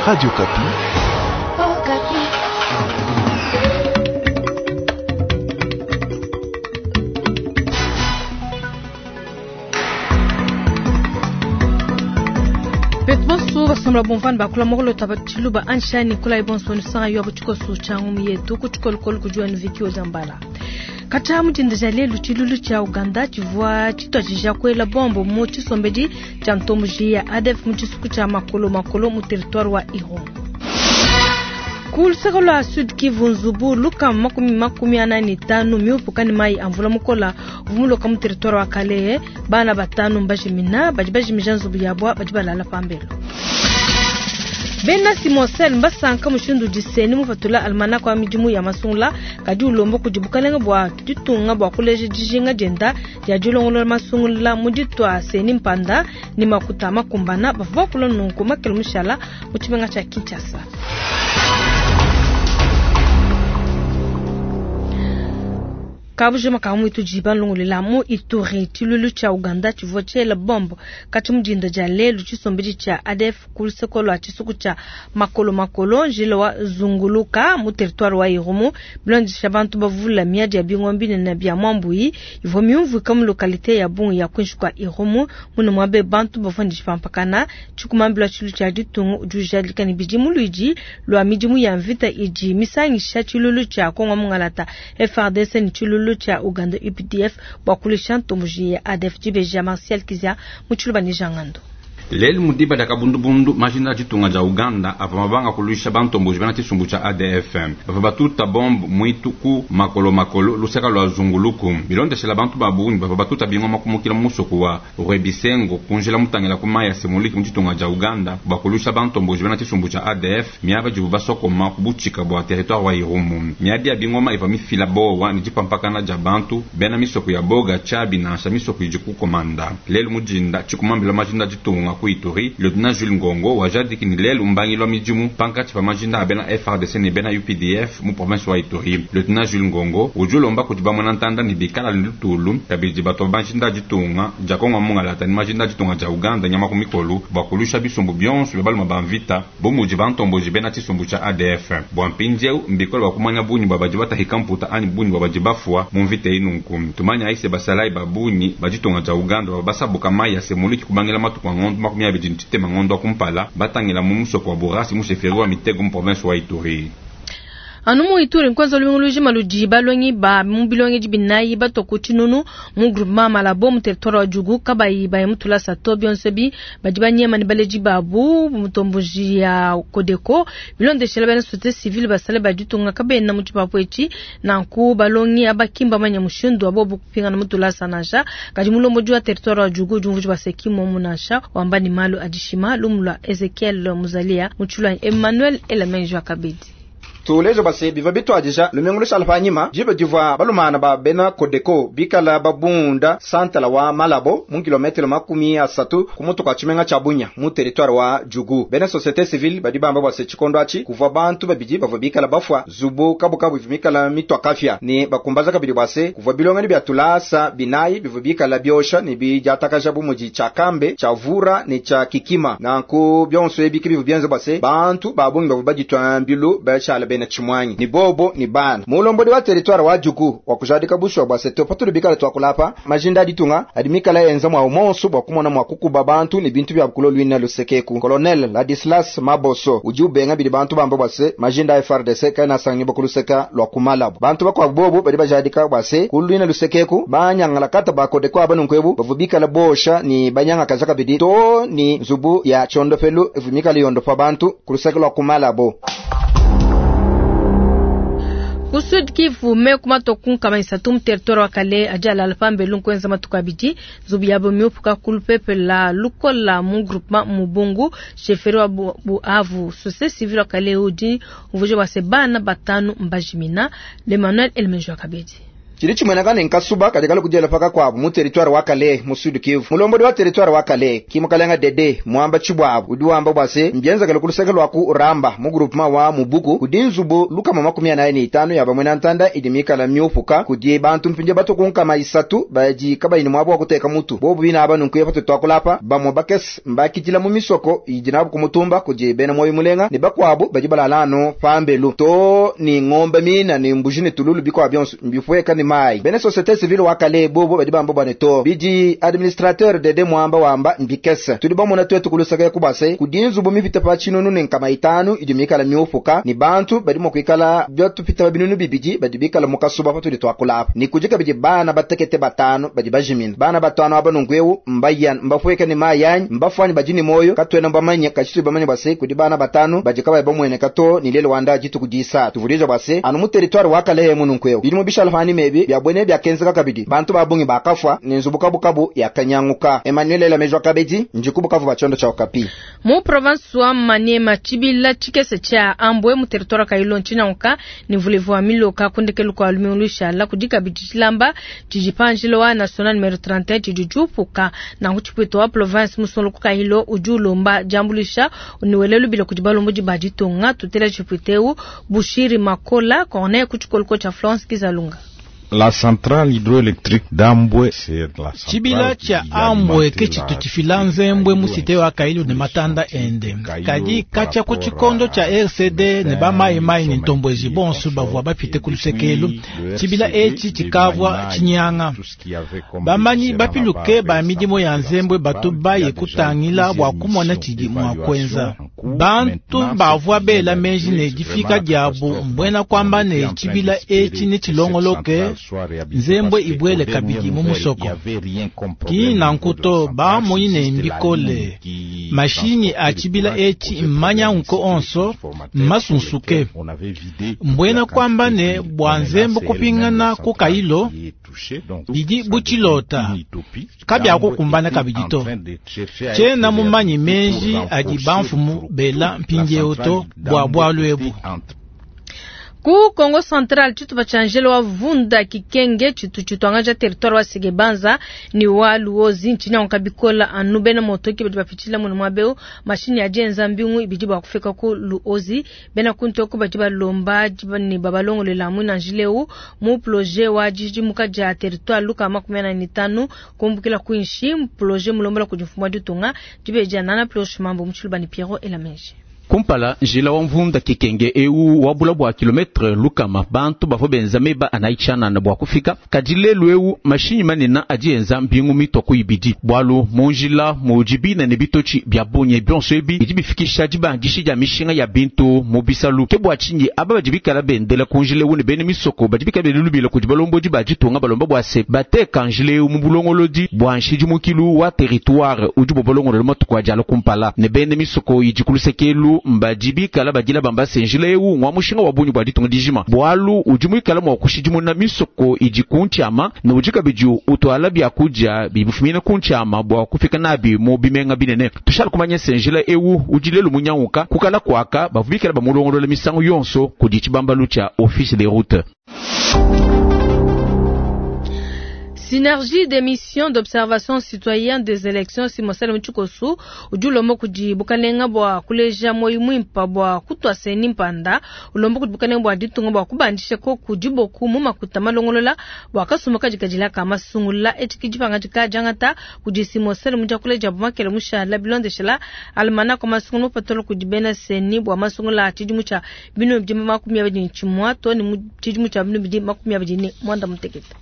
Radio Okapi. Betu bonso basombola bomvani bakula mokolota batshiluba anshani kula ibonso nisanga yo butshikoso tsha ngumu yetu ku tshikolokolo kudi wenu Vicky Ozambala. Katshia mu dinda dia lelu tshilulu tshia Uganda tshivua tshituadija kuela bombo mu tshisombedi tshia ntomboji ya ADF mu tshisuku tshia Makolo Makolo mu territoire wa Irumu. Ku luseke lua Sud Kivu, nzubu lukama makumi 45 miupuka ne mayi a mvula mukola uvua muloka mu territoire wa Kalehe. Bana batanu mbajimina, badi bajimija nzubu yabua badi balala pambelu. Bena Simosel mbasanka mushindu udi Seni mupatula almanach wa midimu ya masungula, kadi ulomba kudi bukalenge bua ditunga bua kuleja dijinga dienda dia dilongolola masungula mu ditua Seni mpanda ne makuta makumbana. Bavua bakula nunku makelo mushala mu tshimenga tshia Kinshasa. Kabujima ka muitu diba nlongolela mu Ituri, tshiluilu tshia Uganda tshivua tshiela bombe katshi mu dinda dia lelu tshisombedi tshia ADF ku luseke lua tshisuku tshia Makolo Makolo njila wa Zunguluka mu territoire wa Irumu. Bilondesha bantu bavula miadi ya bingoma binene bia mwambuyi ivua miumvuika mu localité ya bungi ya kuinshi kua Irumu. Mune muabe bantu bavua ne dipampakana. Tshikumambila tshilu tshia ditunga udi ujadika ne bidi luidi lua midimu ya mvita idi misangisha tshiluilu tshia Kongo Mungalata FARDC ne tshiluilu tshia Uganda UPDF bua kulisha ntomboji ya ADF. Dibeja Martial Kizia mu tshiluba ne Jangando. Lelu mu diba dia kabundubundu majinda a ditunga dia Uganda avua mabanga kuluisha bantomboji bena tshisumbu tshia ADF. Bavua batuta bombe muitu ku makolo makolo luseka lua Zunguluku. Bilondeshela bantu ba bungi bavua batuta bingoma kumukila mu musoko wa Rwebisengo kunjila mutangila ku mayi ya Semuliki mu ditunga dia Uganda bua kuluisha bantomboji bena tshisumbu tshia ADF miaba dibu basokoma ku butshika bua territoire wa Irumu. Miadi ya bingoma ivua mifila bowa ne dipampakana dia bantu bena misoko ya Boga Tshabi nansha misoko idi ku komanda. Lelu mu dinda tshikumambila majinda ditunga ku Ituri, Lieutenant Jules Ngongo wajadiki ni lelu mbangilu wa midimu pankatshi pa majinda a bena FARDC ne bena UPDF mu province wa Ituri. Lieutenant Jules Ngongo udi ulomba kudi bamona ntanda ne bikala ne lutulu kabidi bato majinda a ditunga dia Kongo mungalata ne majinda a ditunga dia Uganda nyama ku mikolo bua kuluisha bisumbu bionso bia baluma ba mvita bu mudi bantomboji bena tshisumbu tshia ADF. Bua mpindieu mbikole bua kumanya bungi bua badi batahika mputa anyi bungi bua badi bafua mu mvita eyi nunku. Tumanya aise basalayi ba bungi ba ditunga dia Uganda bavua basabuka mayi ya Semuliki kubangila matuku a ngondo 23 ngondo wa kumpala batangila mu musoko wa Burasi mu chefferie wa Mitego mu province wa Ituri. Anu mu Ituri nkwenza lumingu lujima ludi balongi ba mu bilongedi binayi bato ku tshinunu mu groupement Malabo mu territoire wa Djugu kabayi baye mu tulasa to bionso bi badi banyema ne baledi babu mutomboji ya Codeco bilondeshela bena société civile basale ba ditunga kabena mu tshipapu etshi nanku balongi abakimba manya mushindu wa bobu kupingana mu tulasa nansha kadi mulombodi wa territoire wa Djugu udi umvuija baseki momu nansha wamba ni malu adishima lumu lua Ezekiel Muzalia mu tshilua Emmanuel Elamenjo Kabedi. Tulejo base biva bitwadija lumingu lushala panyima jibe divua balumana ba bena Codeco bikala babunda santala wa Malabo mu kilometero 30 ku mutu kwa tshimenga tsha Bunia mu territoire wa Djugu. Bena société civile badi bamba base tshikondo atshi kuvua bantu babidi bavua bikala bafua zubu kabukabu bikala mitwa kafya ne bakumbaza kabidi base kuvua bilongani bya tulasa binayi bivua bikala biosha ne bidiatakaja bu mudi tsha Kambe tsha Vura ne tsha Kikima. Nanku bionso ebi bivua bienza base bantu babungi bavua baditwa mbilu bashala bena tshimwanyi ni bobo ni bana mulombodi wa territoire wa Djugu wa kujadika bushwa bwa seto patuli bikala twakulapa majinda aditunga adi mikala yenza mwa umonso bwa kumona mwa kukuba bantu ni bintu bya bukulo lwina lusekeku. Colonel Ladislas Maboso udi ubenga bidi bantu bamba bwa se majinda ya FARDC kaina sangi bakuluseka lwa kumalabo bantu bakwa bobo badi bajadika bwa se kulwina lusekeku banyangala kata bakode kwa banu nkwebu bavubikala bosha ni banyanga kazaka bidi to ni nzubu ya chondofelu evumikala yondo pa bantu kuluseka lwa kumalabo. Ku Sud Kivu me kumatoku nkama isatu mu territoire wa Kale aja alpambe lunkwenza matuku abidi nzubu yabo miupuka ku lupepe la lukola mu groupement Mubungu chefferie wa Buhavu. Société civile wa Kale udi umvuija bua se bana batanu mbajimina. L'Emmanuel Elmenjo Kabedi. Tshidi tshimueneka ne nkasuba kadi kalu kudiela paka kuabu mu territoire wa Kalehe mu Sud Kivu. Mulombodi wa territoire wa Kalehe ki mukalenga Dede Mwamba Tshibuabu udi wamba bua se mbienzekele ku luseke lua ku Ramba mu groupement wa Mubuku kudi nzubu 145 ya bamuena ntanda idi mikala miupuka kudi bantu mpindie batu ku 300 badi kabayi ne muaba wa kuteka mutu. Bobu bina aba nunku patu tuakula apa bamue bakese mbakidila mu misoko idi nabu ku mutumba kudi bena moyo mulenga ne bakuabu badi balala anu pambelu to ni ngombe mina ni mbuji ni tululu bikwa bionso mbifueka ni mai. Bena société civile wa Kalehe bobo badi bamba bwane to bidi administrateur Dede Mwamba wamba mbikese tudi bamona twetu kulusaka kubase kudi nzubu mipita pa tshinunu ne 500 idi mikala miupuka ni bantu badi mua kuikala byatupita binunu bibidi badi bikala mukasuba patudi tuakula apa ni kudi kabidi bana batekete batano badi bajimina bana batano aba nungu mbayan mbafueka ni mai yanyi mbafwani badi ni moyo katwena mbamanya kachitu bamanya base kudi bana batano badi kabaye bamwene kato ni lelo wanda jitu kudisa tuvulija base anu mu territoire wa Kalehe munungu bidi mu bishala fani mebi bya bwene bya kenzeka kabidi bantu babungi bakafwa ni nzubu kabukabu ya kanyanguka. Emmanuel Lamejwa Kabedi njiku Bukavu bachondo cha Okapi. Mu province wa Maniema chibila chikese cha Ambwe mu territoire Kailo nchinanguka ni vulevu wa miloka kundekelu kwa lumiulusha la kudika bidichilamba chijipanjilo wa national numero 31 chijujupuka na kuchipwito wa province musolo Kailo ujulomba jambulisha uniwelelu bila kujibalombo jibajitonga tutela chipwiteu Bushiri Makola Corneille kuchikolko cha Florence Kizalunga. La centrale hydroélectrique d'Ambwe, c'est la centrale chibila cha Ambwe ke chitu chifila nzembwe musite wa Kailo ne matanda ende kadi kacha ku chikondo cha RCD ne ba mai mai ne ntombwezi bonso bavua bapite ku lusekelu chibila echi chikavwa chinyanga bamanyi bapiluke ba midimo ya nzembwe batu baye kutangila bua kumona chidi mua kwenza bantu bavua bela meji ne difika diabu mbwena kwamba ne chibila echi ne chilongoloke nzembwe ibwele kabidi mu musoko ki nankuto bamonyi ne mbikole mashinyi a chibila echi mmanya nko onso mmasunsuke mbwena kwamba ne bua nzembo kupingana ku Kailo bidi buchilota kabyakukumbana kabidi to tshena mumanyi menji adi bamfumu bela mpindieu to bua bwalu ebu. Ku Kongo Central chitu bachanjelo wa Vunda Kikenge chitu chitwangaja territoire wa Segebanza ni wa Luozi nchini wankabikola anu bena motoki badi bapichila muno mwabeo mashini ya jenza mbingu ibidi ba kufika ku Luozi bena kuntoko badi balomba ni babalongolela mwina njileu mu projet wa jiji mukaja territoire luka 45 kumbukila kuinshi projet mulombola kujifumwa ditunga dibeja nana projet mambo mchulubani Pierrot Elamenje. Kumpala njila wa mvunda Kikenge eu wabula bua kilometre lukama bantu bavua benza meba anaichanana bua kufika kadi lelu eu mashinyi manene adi enza mbingu mitoko ibidi bwalu munjila mujibina ne bitochi bya bunye bionso ebi bidi bifikisha dibandishi dia mishinga ya bintu mu bisalu ke bua tshinyi aba badi bikala bendela ku njila eu ne bene misoko badi bikala belulubila kudi balombodi baditunga balomba bua se bateka njila eu mu bulongolodi bua nshidimukilu wa territoire udi bobolongolola matuku adi ala kumpala ne bene misoko idi ku lusekelu mbadi bikala badila bamba se njila eu ngwa mushinga wa bunyi bua ditunga dijima bwalu udi muikala mua kushidimuna misoko idi ku ntshiama ne udi kabidi utwala biakudia bibifumina ku ntshiama bua kufika nabi mu bimenga binene tushala kumanya se njila eu udi lelu munyanguka kukala kwaka bavua bikala bamulongolola misangu yonso kudi tshibambalu tshia office des routes. Synergie des missions d'observation citoyenne des élections Simosele Mchikosu ujulombo kudi bukalenga bwa kuleja moyo mwimpa bwa kutwa seni mpanda ulombo kudi bukalenga bwa ditunga bwa kubandisha ko kudiboku mu makuta malongolola bwa kasuma kajikajila kama sungula echikijipanga jikajangata kudi Simosele muja kuleja bumakele mushala bilondeshela almana kwa masungula mupatolo kudi bena seni bwa masungula chidimu cha binu bidi 29 to ni chidimu cha binu bidi 29 mutekete.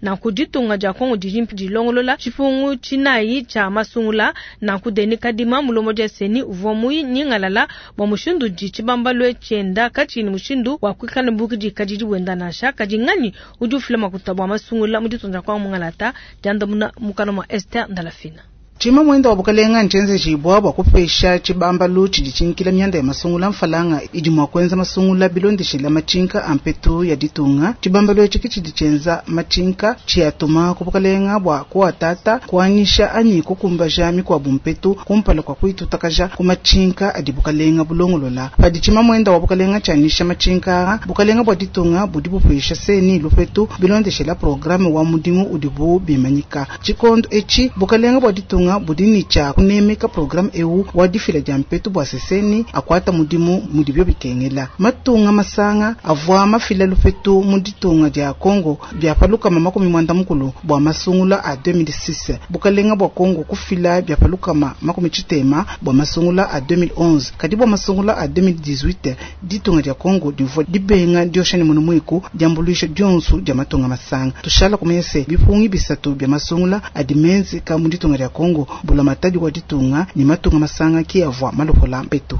Na kuditunga ja Kongo dijimpi dilongolola chifungu chinayi cha masungula na kudeni kadima mulomo ja seni uvua nyingalala bwa mushindu di chibambalwe chenda kachini mushindu wa kwikana mbuki di kadidi wenda nasha kadingani udi ufila makuta bwa masungula muditunga kwa mungalata jandamuna mukana mwa Esther Ndalafina. Tshimamuenda wa bukalenga ntshenzejibwa bua kupesha tshibambalu tshidi tshinkila mianda ya masungula mfalanga idi mua kuenza masungula bilondeshela matshinka a mpetu ya ditunga. Tshibambalu etshi ke tshidi tshienza matshinka tshiatuma ku bukalenga bua kuatata kuanyisha anyi kukumbaja mikuabu mpetu kumpala kua kuitutakaja ku matshinka adi bukalenga bulongolola. Padi tshimamuenda wa bukalenga tshianyisha matshinka aa, bukalenga bua ditunga budi bupesha CENI lupetu bilondeshela programme wa mudimu udibu bimanyika. Tshikondo etshi bukalenga bua ditunga budi ne tshia kunemeka programme eu wa difila dia mpetu bua se CENI akuata mudimu mudibio bikengela. Matunga masanga avua mafila lupetu mu ditunga dia Congo bia pa 360 bua masungula a 2006. Bukalenga bua Congo kufila bia pa 60 bua masungula a 2011. Kadi bua masungula a 2018 ditunga dia Congo divua dibenga diosha ne munu muiku diambuluisha dionso dia matunga masanga. Tushala kumanya se bipungi bisatu bia masungula adi menzeka mu ditunga dia Congo bulamatadi wa ditunga ne matunga masanga ki avua malopola mpetu.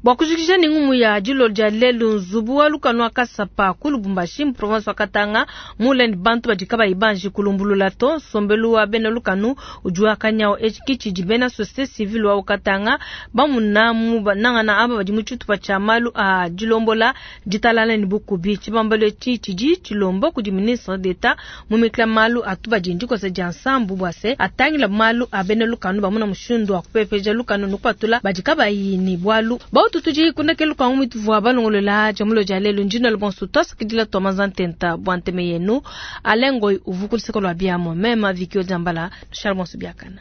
Bua kujikija ne ngumu ya dilolo dia lelu, nzubu wa lukanu wa Kasapa ku Lubumbashi mu province wa Katanga mule ne bantu badi kabayi banji kulumbulula to. Nsombelu wa bena lukanu udi wa kanyawu. Etshi ke tshidi bena societe civile wa Katanga bamuna mu nangana aba badi mu tshitupa tshia malu a dilombola ditalala ne bukubi. Tshibambalu etshi tshidi tshilomba kudi ministre d'Etat mumikila malu a tubadi ndikosa dia nsambu bua se atangila malu a bena lukanu bamuna mushindu wa kupepeja lukanu ne kupatula badi kabayi ne bualu. Bautu tudi kundekelu kua ngumu ituvua balongolola dia mulo dia lelu. Ndina lubonso tuasakidila tua manza ntenta bua nteme yenu. Alain Ngoy uvu ku luseke lua biamua, meme Vicky Odiambala, tushala bonso biakana.